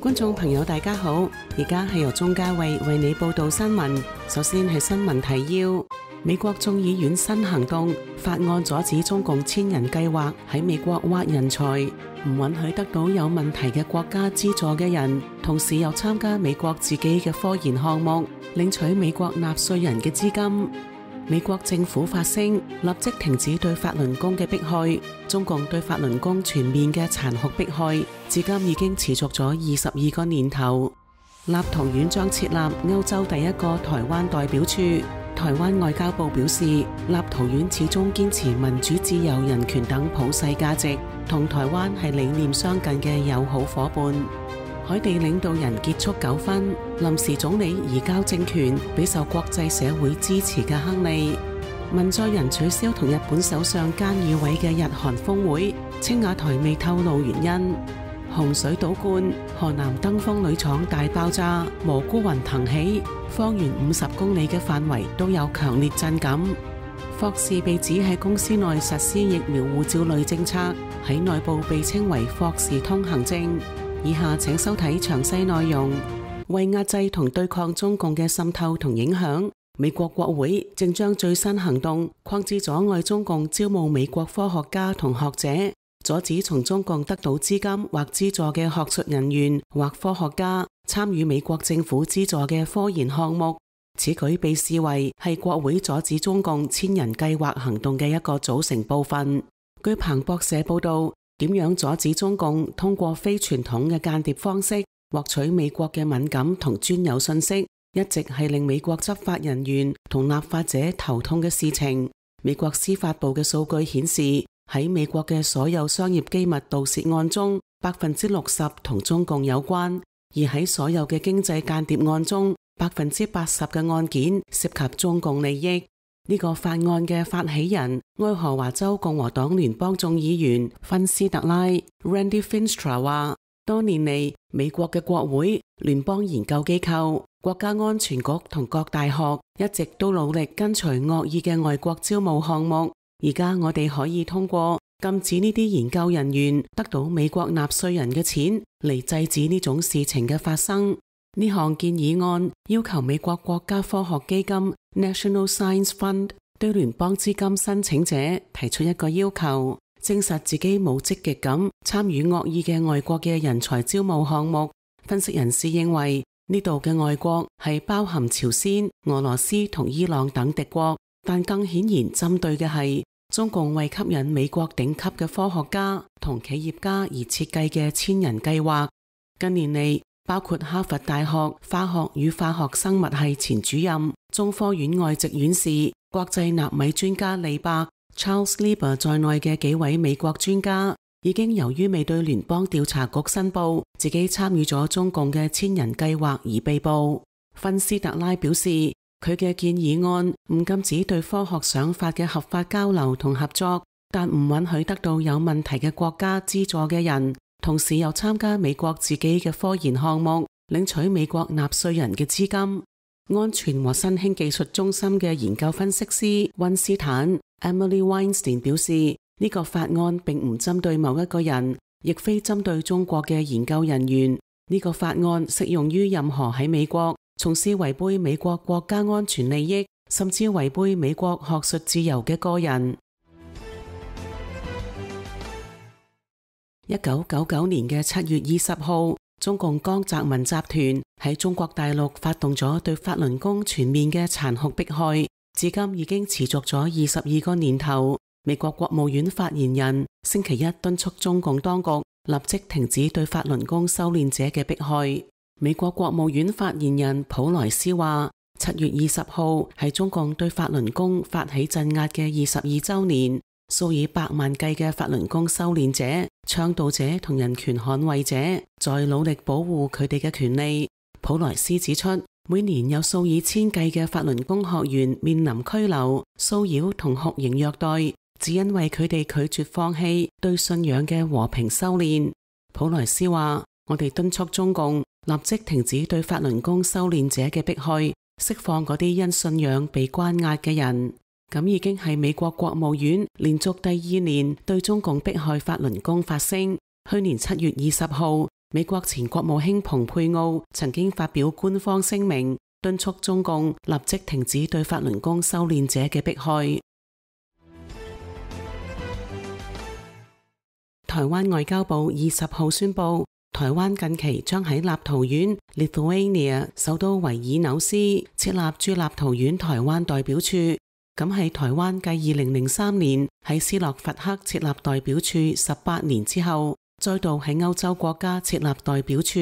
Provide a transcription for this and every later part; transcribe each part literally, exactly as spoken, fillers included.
觀眾朋友大家好，而家係由鍾嘉慧為你報道新聞。首先係新聞提要：美國眾議院新行動法案阻止中共千人計劃喺美國挖人才，唔允許得到有問題嘅國家資助嘅人，同時又參加美國自己嘅科研項目，領取美國納稅人嘅資金。美國政府發聲，立即停止對法輪功嘅迫害。中共對法輪功全面嘅殘酷迫害，至今已經持續咗二十二個年頭。立陶宛將設立歐洲第一個台灣代表處。台灣外交部表示，立陶宛始終堅持民主、自由、人權等普世價值，同台灣係理念相近嘅友好夥伴。海地領導人結束糾紛，臨時總理移交政權俾受國際社會支持嘅亨利。文在寅取消同日本首相菅義偉嘅日韓峰會，青瓦台未透露原因。洪水倒灌，河南登封鋁廠大爆炸，蘑菇雲騰起，方圓五十公里嘅範圍都有強烈震感。霍士被指喺公司內實施疫苗護照類政策，喺內部被稱為霍士通行證。以下請收睇詳細內容。為壓制同對抗中共嘅滲透同影響，美國國會正將最新行動擴至阻礙中共招募美國科學家同學者，阻止從中共得到資金或資助嘅學術人員或科學家參與美國政府資助嘅科研項目。此舉被視為係國會阻止中共千人計劃行動嘅一個組成部分。據彭博社報道，點樣阻止中共通過非傳統嘅間諜方式獲取美國嘅敏感同專有信息，一直係令美國執法人員同立法者頭痛嘅事情。美國司法部嘅數據顯示，喺美國嘅所有商業機密盜竊案中，百分之六十同中共有關；而喺所有嘅經濟間諜案中，百分之八十嘅案件涉及中共利益。呢個法案嘅發起人，愛荷華州共和黨聯邦眾議員芬斯特拉 Randy Finstra 話，多年嚟，美國嘅國會、聯邦研究機構、國家安全局同各大學一直都努力跟隨惡意嘅外國招募項目。而家我哋可以通過禁止呢啲研究人員得到美國納稅人嘅錢嚟制止呢種事情嘅發生。呢項建議案要求美國國家科學基金 National Science Fund 對聯邦資金申請者提出一個要求，證實自己冇積極咁參與惡意嘅外國嘅人才招募項目。分析人士認為，呢度嘅外國係包含朝鮮、俄羅斯同伊朗等敵國，但更顯然針對嘅係中共為吸引美國頂級嘅科學家同企業家而設計嘅千人計劃。近年嚟，包括哈佛大學化學與化學生物系前主任、中科院外籍院士、國際納米專家李伯 Charles Lieber 在內嘅幾位美國專家，已經由於未對聯邦調查局申報自己參與咗中共嘅千人計劃而被捕。芬斯特拉表示，佢嘅建議案唔禁止對科學想法嘅合法交流同合作，但唔允許得到有問題嘅國家資助嘅人，同時又參加美國自己嘅科研項目，領取美國納稅人嘅資金。安全和新興技術中心嘅研究分析師溫斯坦 Emily Weinstein 表示，呢、這個法案並唔針對某一個人，亦非針對中國嘅研究人員。呢、這個法案適用於任何喺美國從事違背美國國家安全利益，甚至違背美國學術自由嘅個人。一九九九年嘅七月二十號，中共江澤民集團喺中國大陸發動咗對法輪功全面嘅殘酷迫害，至今已經持續咗二十二個年頭。美國國務院發言人星期一敦促中共當局立即停止對法輪功修煉者嘅迫害。美國國務院發言人普萊斯話，七月二十號係中共對法輪功發起鎮壓嘅二十二週年。數以百萬計嘅法輪功修煉者、倡導者同人權捍衛者在努力保護佢哋嘅權利。普萊斯指出，每年有數以千計嘅法輪功學員面臨拘留、騷擾同酷刑虐待，只因為佢哋拒絕放棄對信仰嘅和平修煉。普萊斯話，我哋敦促中共立即停止對法輪功修煉者嘅迫害，釋放嗰啲因信仰被關押嘅人。咁已經係美國國務院連續第二年對中共迫害法輪功發聲。去年七月二十號，美國前國務卿蓬佩奧曾經發表官方聲明，敦促中共立即停止對法輪功修煉者嘅迫害。台灣外交部二十號宣布，台灣近期將喺立陶宛 Lithuania 首都維爾紐斯設立駐立陶宛台灣代表處，咁係台灣繼二零零三年喺斯洛伐克設立代表處十八年之後，再度喺歐洲國家設立代表處。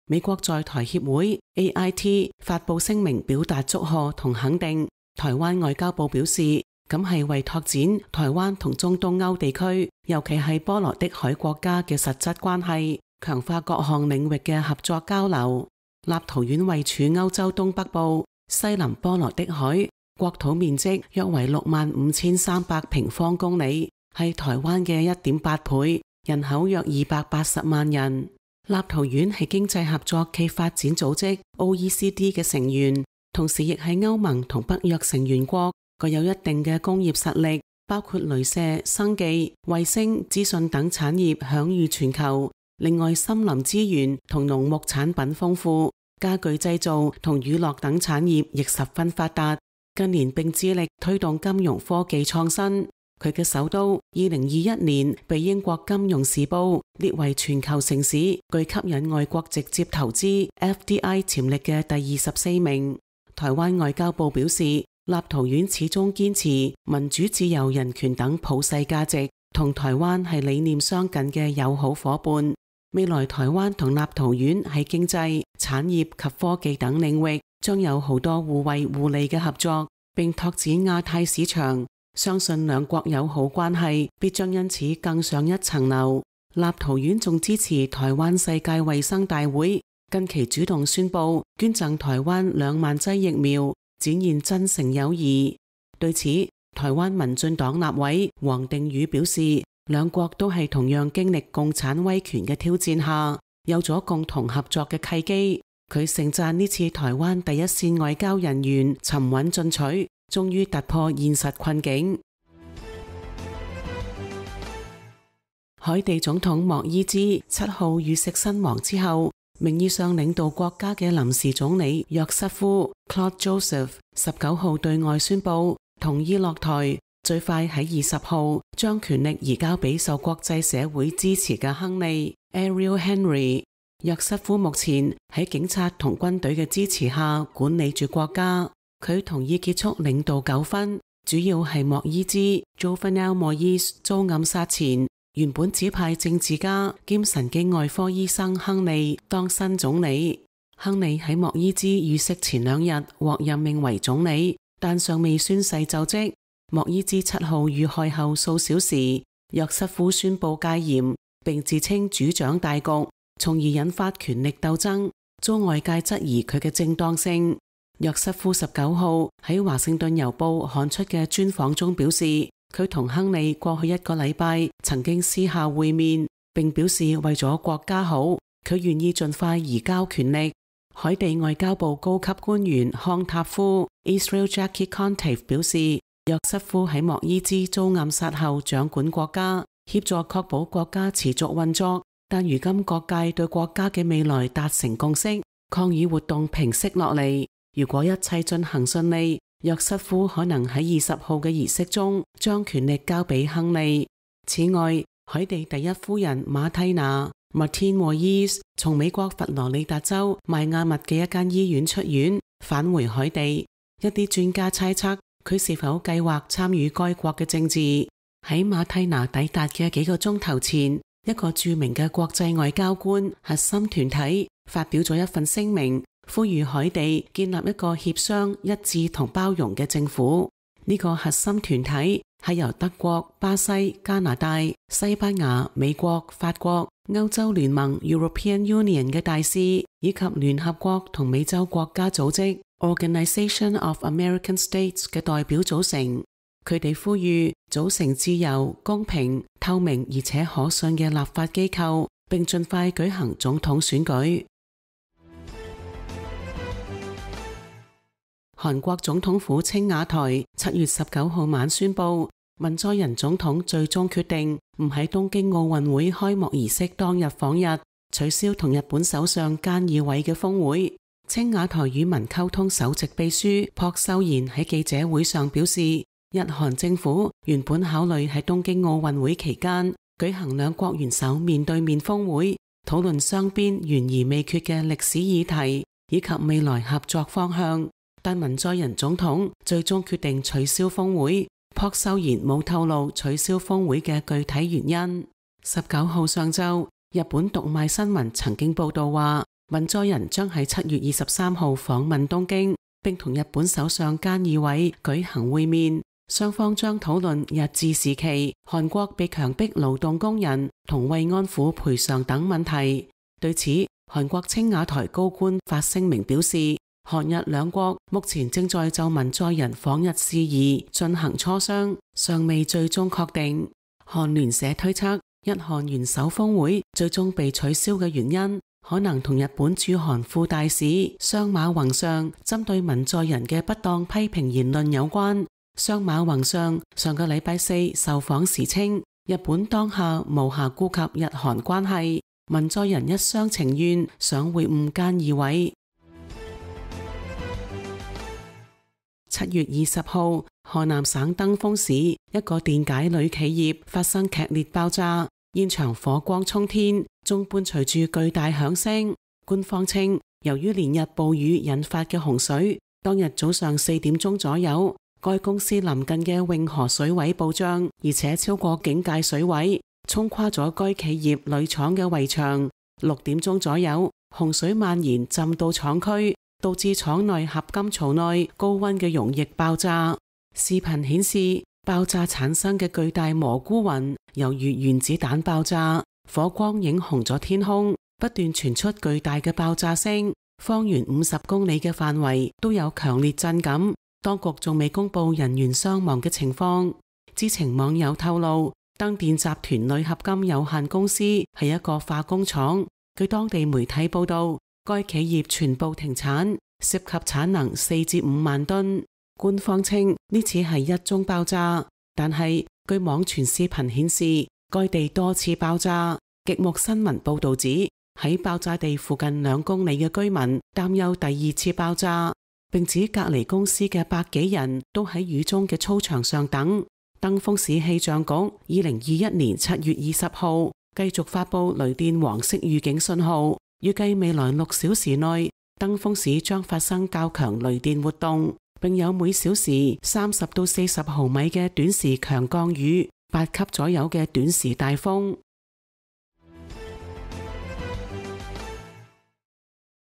美國在台協會 A I T 發布聲明表達祝賀同肯定。台灣外交部表示，咁係為拓展台灣同中東歐地區，尤其係波羅的海國家嘅實質關係，強化各項領域嘅合作交流。立陶宛位處歐洲東北部，西臨波羅的海，國土面積約為六萬五千三百平方公里，係台灣嘅一點八倍，人口約二百八十萬人。立陶宛係經濟合作暨發展組織 O E C D 嘅成員，同時亦係歐盟同北約成員國，具有一定嘅工業實力，包括鐳射、生技、衛星、資訊等產業享譽全球。另外，森林資源同農牧產品豐富，家具製造同娛樂等產業亦十分發達。近年並致力推動金融科技創新。佢嘅首都二零二一年被英國金融時報列為全球城市具吸引外國直接投資 F D I 潛力嘅第二十四名。台灣外交部表示，立陶宛始終堅持民主、自由、人權等普世價值，同台灣係理念相近嘅友好夥伴。未來台灣同立陶宛喺經濟、產業及科技等領域將有好多互惠互利嘅合作，並拓展亞太市場。相信兩國友好關係必將因此更上一層樓。立陶宛仲支持台灣世界衛生大會，近期主動宣布捐贈台灣兩萬劑疫苗，展現真誠友誼。對此，台灣民進黨立委黃定宇表示，兩國都係同樣經歷共產威權嘅挑戰下，有咗共同合作嘅契機。佢盛讚呢次台灣第一線外交人員沉穩進取，終於突破現實困境。海地總統莫伊茲七號遇刺身亡之後，名義上領導國家嘅臨時總理約瑟夫 Claude Joseph 十九號對外宣布同意落台，最快喺二十號將權力移交俾受國際社會支持嘅亨利 Ariel Henry。約瑟夫目前喺警察同軍隊嘅支持下管理住國家。佢同意結束領導糾紛，主要係莫伊茲 Jovenel Moise 遭暗殺前，原本指派政治家兼神經外科醫生亨利當新總理。亨利喺莫伊茲遇刺前兩日獲任命為總理，但尚未宣誓就職。莫伊茲七號遇害後數小時，約瑟夫宣布戒嚴，並自稱主掌大局，從而引發權力鬥爭，遭外界質疑佢嘅正當性。約瑟夫十九號喺華盛頓郵報刊出嘅專訪中表示，佢同亨利過去一個禮拜曾經私下會面，並表示為咗國家好，佢願意盡快移交權力。海地外交部高級官員康塔夫 Israel Jackie Contive 表示，約瑟夫喺莫伊茲遭暗殺後掌管國家，協助確保國家持續運作，但如今各界對國家嘅未來達成共識，抗議活動平息落嚟。如果一切進行順利，約瑟夫可能喺二十號嘅儀式中將權力交俾亨利。此外，海地第一夫人馬蒂娜 Martine Moïse 從美國佛羅里達州邁阿密嘅一間醫院出院，返回海地。一啲專家猜測佢是否計劃參與該國嘅政治。喺馬蒂娜抵達嘅幾個鐘頭前，一個著名嘅國際外交官核心團體發表咗一份聲明，呼籲海地建立一個協商、一致同包容嘅政府。呢、這個核心團體係由德國、巴西、加拿大、西班牙、美國、法國、歐洲聯盟 European Union 嘅大使，以及聯合國同美洲國家組織 Organization of American States 嘅代表組成。佢哋呼籲組成自由、公平、透明而且可信嘅立法機構，並盡快舉行總統選舉。韓國總統府青瓦台七月十九號晚宣布，文在寅總統最終決定唔喺東京奧運會開幕儀式當日訪日，取消同日本首相菅義偉嘅峰會。青瓦台與民溝通首席秘書朴秀賢喺記者會上表示，日韓政府原本考慮喺東京奧運會期間舉行兩國元首面對面峰會，討論雙邊懸而未決嘅歷史議題以及未來合作方向，但文在寅總統最終決定取消峰會。朴秀賢冇透露取消峰會嘅具體原因。十九號上晝，日本讀賣新聞曾經報道話，文在寅將喺七月二十三號訪問東京，並同日本首相菅義偉舉行會面，雙方將討論日治時期韓國被強迫勞動工人同慰安婦賠償等問題。對此，韓國青瓦台高官發聲明表示，韓日兩國目前正在就文在寅訪日事宜進行磋商，尚未最終確定。韓聯社推測，日韓元首峰會最終被取消嘅原因，可能同日本駐韓副大使相馬宏尚針對文在寅嘅不當批評言論有關。相馬宏尚上個禮拜四受訪時稱，日本當下無暇顧及日韓關係，文在寅一廂情願想會晤菅義偉。七月二十號，河南省登封市一個電解鋁企業發生劇烈爆炸，現場火光衝天，仲伴隨住巨大響聲。官方稱，由於連日暴雨引發嘅洪水，當日早上四點鐘左右，該公司鄰近嘅永河水位暴漲，而且超過警戒水位，沖垮咗該企業鋁廠嘅圍牆。六點鐘左右，洪水蔓延浸到廠區，導致廠內合金槽內高溫嘅溶液爆炸。視頻顯示，爆炸產生嘅巨大蘑菇雲猶如原子彈爆炸，火光映紅咗天空，不斷傳出巨大嘅爆炸聲，方圓五十公里嘅範圍都有強烈震感。當局仲未公布人員傷亡嘅情況。知情網友透露，登電集團鋁合金有限公司係一個化工廠，據當地媒體報道，該企業全部停產，涉及產能四至五萬噸。官方稱呢次係一宗爆炸，但係據網傳視頻顯示，該地多次爆炸。極目新聞報道指，喺爆炸地附近兩公里嘅居民擔憂第二次爆炸，並指隔離公司嘅百幾人都喺雨中嘅操場上等。登封市氣象局二零二一年七月二十號繼續發布雷電黃色預警信號，預計未來六小時內登封市將發生較強雷電活動，並有每小時三十到四十毫米嘅短時強降雨，八級左右嘅短時大風。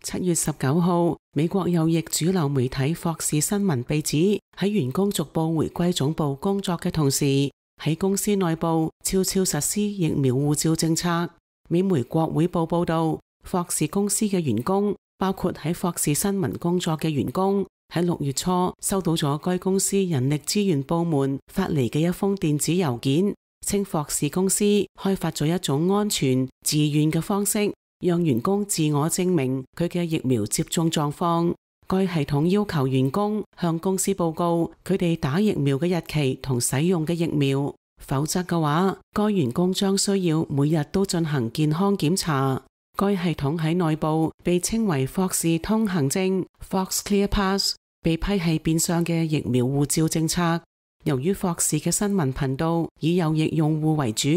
七月十九號，美國右翼主流媒體霍士新聞被指喺員工逐步回歸總部工作嘅同時，喺公司內部悄悄實施疫苗護照政策。美媒國會報報道，霍士公司嘅員工，包括喺霍士新聞工作嘅員工，喺六月初收到咗該公司人力資源部門發嚟嘅一封電子郵件，稱霍士公司開發咗一種安全、自願嘅方式，讓員工自我證明佢嘅疫苗接種狀況。該系統要求員工向公司報告佢哋打疫苗嘅日期同使用嘅疫苗，否則嘅話，該員工將需要每日都進行健康檢查。該系統喺內部被稱為霍士通行證 （Fox Clear Pass），被批係變相嘅疫苗護照政策。由於霍士嘅新聞頻道以右翼用戶為主，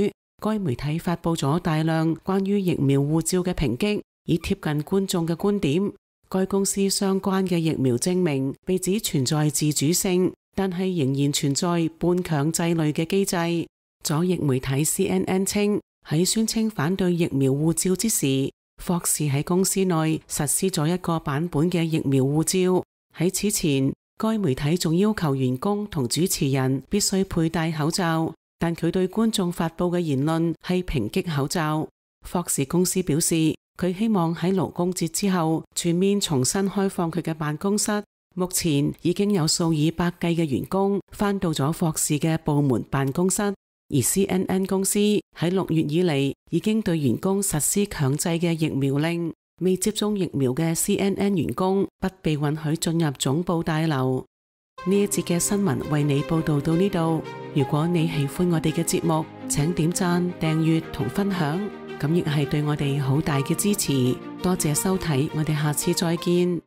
該媒體發佈咗大量關於疫苗護照嘅抨擊，以貼近觀眾嘅觀點。該公司相關嘅疫苗證明被指存在自主性，但係仍然存在半強制類嘅機制。左翼媒體 C N N 稱，喺宣稱反對疫苗護照之時，霍士喺公司內實施咗一個版本嘅疫苗護照。喺此前，該媒體仲要求員工同主持人必須佩戴口罩，但佢對觀眾發佈嘅言論係抨擊口罩。霍士公司表示，佢希望喺勞工節之後全面重新開放佢嘅辦公室。目前已經有數以百計嘅員工返到咗霍士嘅部門辦公室，而 C N N 公司喺六月以嚟已經對員工實施強制嘅疫苗令，未接種疫苗嘅 C N N 員工不被允許進入總部大樓。呢一節嘅新聞為你報道到呢度。如果你喜歡我哋嘅節目，請點讚、訂閱同分享。咁亦係對我哋好大嘅支持。多謝收睇，我哋下次再見。